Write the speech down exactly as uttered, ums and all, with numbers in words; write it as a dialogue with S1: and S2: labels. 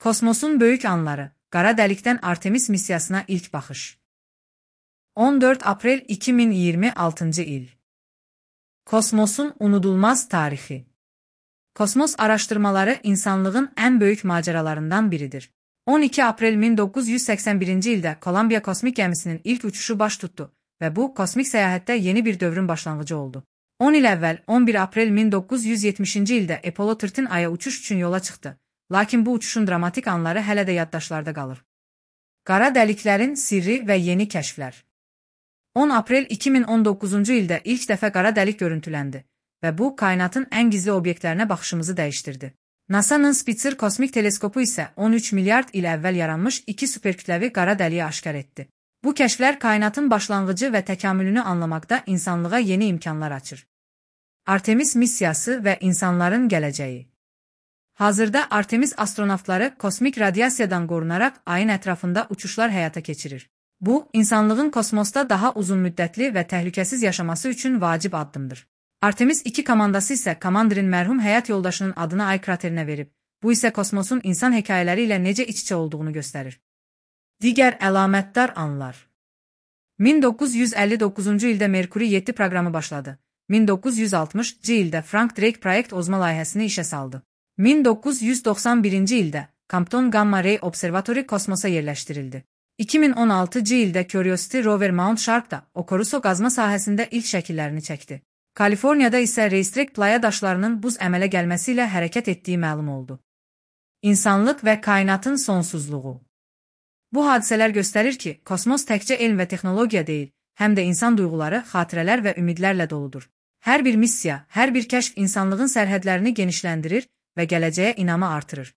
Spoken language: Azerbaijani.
S1: Kosmosun böyük anları, qara dəlikdən Artemis missiyasına ilk baxış. on dörd aprel iki min iyirmi altıncı il. Kosmosun unudulmaz tarixi. Kosmos araşdırmaları insanlığın ən böyük macəralarından biridir. on iki aprel min doqquz yüz səksən birinci ildə Kolumbiya kosmik gəmisinin ilk uçuşu baş tutdu və bu kosmik səyahətdə yeni bir dövrün başlanğıcı oldu. on il əvvəl on bir aprel min doqquz yüz yetmişinci ildə Apollo on Aya uçuş üçün yola çıxdı. Lakin bu uçuşun dramatik anları hələ də yaddaşlarda qalır. Qara dəliklərin sirri və yeni kəşflər. on aprel iki min on doqquzuncu ildə ilk dəfə qara dəlik görüntüləndi və bu, kainatın ən gizli obyektlərinə baxışımızı dəyişdirdi. NASA'nın Spitzer kosmik teleskopu isə on üç milyard il əvvəl yaranmış iki superkütləvi qara dəliyi aşkar etdi. Bu kəşflər kainatın başlanğıcı və təkamülünü anlamaqda insanlığa yeni imkanlar açır. Artemis missiyası və insanların gələcəyi. Hazırda Artemis astronavtları kosmik radiasiyadan qorunaraq ayın ətrafında uçuşlar həyata keçirir. Bu, insanlığın kosmosda daha uzun müddətli və təhlükəsiz yaşaması üçün vacib addımdır. Artemis iki komandası isə komandirin mərhum həyat yoldaşının adını ay kraterinə verib. Bu isə kosmosun insan hekayələri ilə necə iç-içə olduğunu göstərir. Digər əlamətdar anlar. min doqquz yüz əlli doqquzuncu ildə Merkuri yeddi proqramı başladı. min doqquz yüz altmışıncı ildə Frank Drake proyekt ozma layihəsini işə saldı. min doqquz yüz doxsan birinci ildə Compton Gamma Ray Observatory kosmosa yerləşdirildi. iki min on altıncı ildə Curiosity rover Mount Sharp-da Okuruso qazma sahəsində ilk şəkillərini çəkdi. Kaliforniyada isə Racetrack playa daşlarının buz əmələ gəlməsi ilə hərəkət etdiyi məlum oldu. İnsanlıq və kainatın sonsuzluğu. Bu hadisələr göstərir ki, kosmos təkcə elm və texnologiya deyil, həm də insan duyğuları, xatirələr və ümidlərlə doludur. Hər bir missiya, hər bir kəşf insanlığın sərhədlərini genişləndirir və gələcəyə inamı artırır.